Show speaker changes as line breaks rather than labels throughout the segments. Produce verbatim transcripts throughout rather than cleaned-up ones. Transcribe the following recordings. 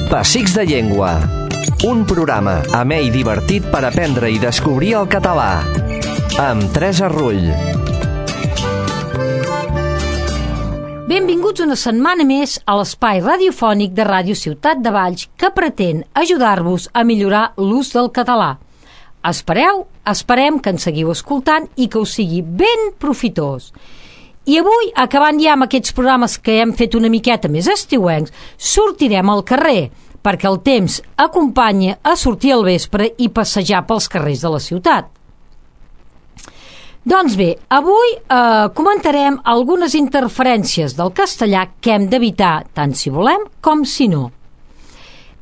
Pessics de Llengua. Un programa amè i divertit per aprendre i descobrir el català. Amb Teresa Rull.
Benvinguts una setmana més a l'espai radiofònic de Ràdio Ciutat de Valls que pretén ajudar-vos a millorar l'ús del català. Espereu, esperem que ens seguiu escoltant i que us sigui ben profitós. I avui, acabant ja amb aquests programes que hem fet una miqueta més estiuencs, sortirem al carrer, perquè el temps acompanya a sortir al vespre i passejar pels carrers de la ciutat. Doncs bé, avui eh, comentarem algunes interferències del castellà que hem d'evitar, tant si volem com si no.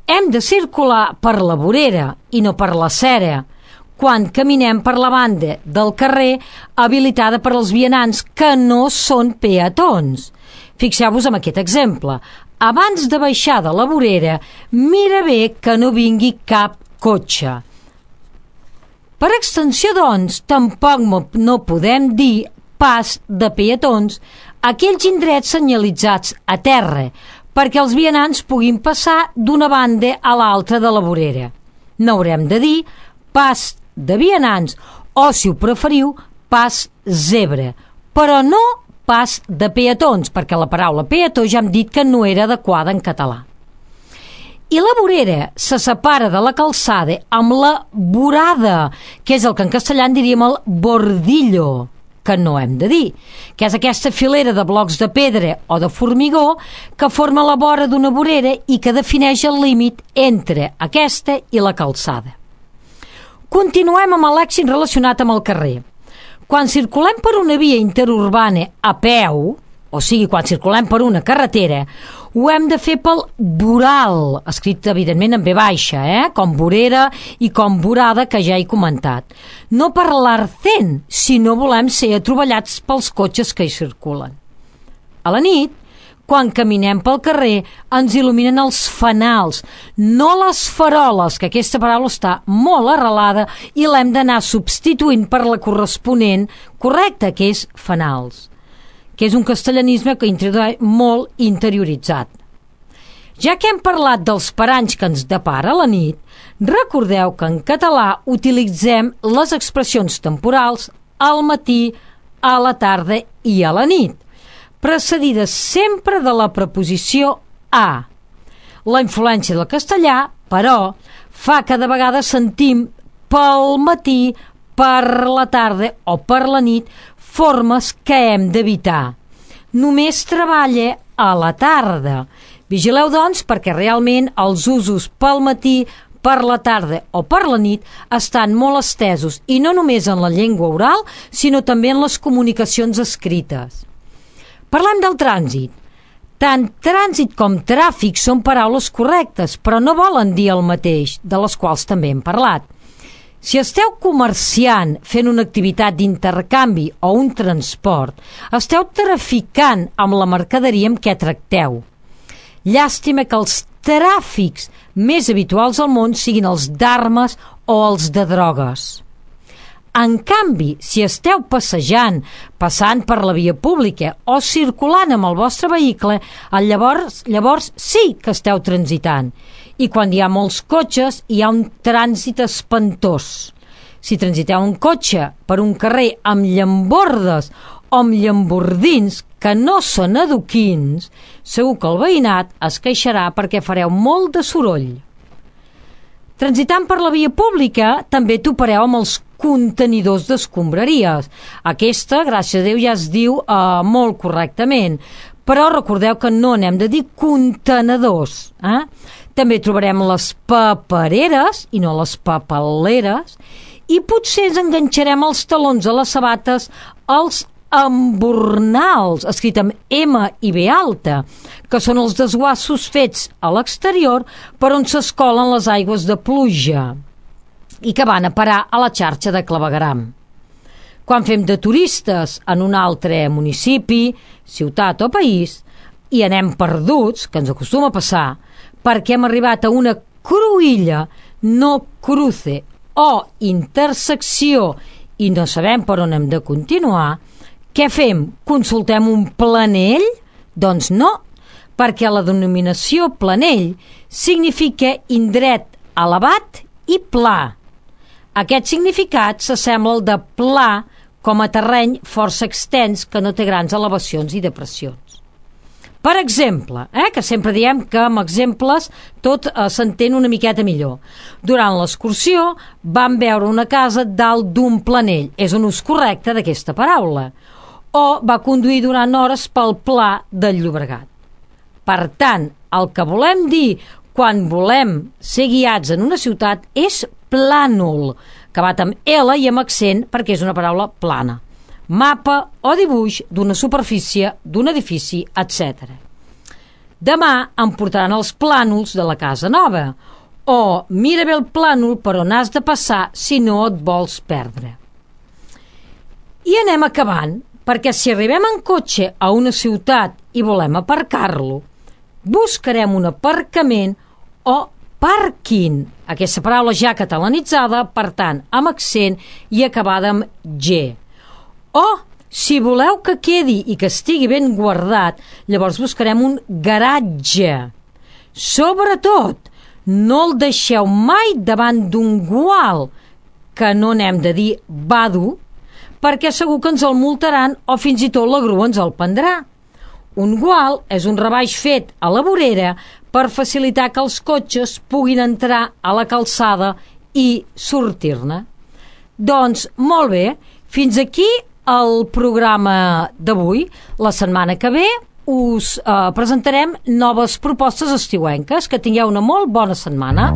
Hem de circular per la vorera i no per la cera, quan caminem per la banda del carrer habilitada per als vianants que no són peatons. Fixeu-vos en aquest exemple. Abans de baixar de la vorera, mira bé que no vingui cap cotxe. Per extensió, doncs, tampoc no podem dir pas de peatons a aquells indrets senyalitzats a terra, perquè els vianants puguin passar d'una banda a l'altra de la vorera. No haurem de dir pas de vianants o, si ho preferiu, pas zebra, però no pas de peatons, perquè la paraula peató ja hem dit que no era adequada en català. I la vorera se separa de la calçada amb la vorada, que és el que en castellà en diríem el bordillo, que no hem de dir, que és aquesta filera de blocs de pedra o de formigó que forma la vora d'una vorera i que defineix el límit entre aquesta i la calçada. Continuem amb l'èxit relacionat amb el carrer. Quan circulem per una via interurbana a peu, o sigui, quan circulem per una carretera, ho hem de fer pel voral, escrit evidentment en ve baixa, eh? com vorera i com vorada, que ja he comentat. No per l'arcent, si no volem ser atrovellats pels cotxes que hi circulen. A la nit, quan caminem pel carrer, ens il·luminen els fanals, no les faroles, que aquesta paraula està molt arrelada i l'hem d'anar substituint per la corresponent correcta, que és fanals, que és un castellanisme que introdueix molt interioritzat. Ja que hem parlat dels paranys que ens depara la nit, recordeu que en català utilitzem les expressions temporals al matí, a la tarda i a la nit, precedides sempre de la preposició a. La influència del castellà, però, fa que de vegades sentim pel matí, per la tarda o per la nit formes que hem d'evitar. Només treballa a la tarda. Vigileu, doncs, perquè realment els usos pel matí, per la tarda o per la nit estan molt estesos, i no només en la llengua oral, sinó també en les comunicacions escrites. Parlem del trànsit. Tant trànsit com tràfic són paraules correctes, però no volen dir el mateix, de les quals també hem parlat. Si esteu comerciant, fent una activitat d'intercanvi o un transport, esteu traficant amb la mercaderia amb què tracteu. Llàstima que els tràfics més habituals al món siguin els d'armes o els de drogues. En canvi, si esteu passejant, passant per la via pública o circulant amb el vostre vehicle, llavors, llavors sí que esteu transitant. I quan hi ha molts cotxes, hi ha un trànsit espantós. Si transiteu un cotxe per un carrer amb llambordes o amb llambordins que no són adoquins, segur que el veïnat es queixarà perquè fareu molt de soroll. Transitant per la via pública, també topareu amb els contenidors d'escombraries. Aquesta, gràcies a Déu, ja es diu eh, molt correctament, però recordeu que no n'hem de dir contenedors. Eh? També trobarem les papereres i no les papeleres, i potser ens enganxarem els talons a les sabates, els embornals, escrit amb M i B alta, que són els desguassos fets a l'exterior per on s'escolen les aigües de pluja i que van a parar a la xarxa de clavegueram. Quan fem de turistes en un altre municipi, ciutat o país, i anem perduts, que ens acostuma a passar, perquè hem arribat a una cruïlla, no cruce, o intersecció, i no sabem per on hem de continuar, què fem? Consultem un planell? Doncs no, perquè la denominació planell significa indret elevat i pla. Aquest significat s'assembla al de pla com a terreny força extens que no té grans elevacions i depressions. Per exemple, eh, que sempre diem que amb exemples tot eh, s'entén una miqueta millor. Durant l'excursió vam veure una casa dalt d'un planell, és un ús correcte d'aquesta paraula, o va conduir durant hores pel pla del Llobregat. Per tant, el que volem dir quan volem ser guiats en una ciutat és plànol, acabat amb L i amb accent perquè és una paraula plana. Mapa o dibuix d'una superfície, d'un edifici, etcètera. Demà em portaran els plànols de la casa nova, o mira bé el plànol per on has de passar si no et vols perdre. I anem acabant, perquè si arribem en cotxe a una ciutat i volem aparcar-lo, buscarem un aparcament o pàrquing, aquesta paraula ja catalanitzada, per tant, amb accent i acabada amb G. O, si voleu que quedi i que estigui ben guardat, llavors buscarem un garatge. Sobretot, no el deixeu mai davant d'un gual, que no n'hem de dir vado, perquè segur que ens el multaran o fins i tot la grua ens el prendrà. Un gual és un rebaix fet a la vorera per facilitar que els cotxes puguin entrar a la calçada i sortir-ne. Doncs, molt bé, fins aquí el programa d'avui. La setmana que ve us eh, presentarem noves propostes estiuenques. Que tingueu una molt bona setmana.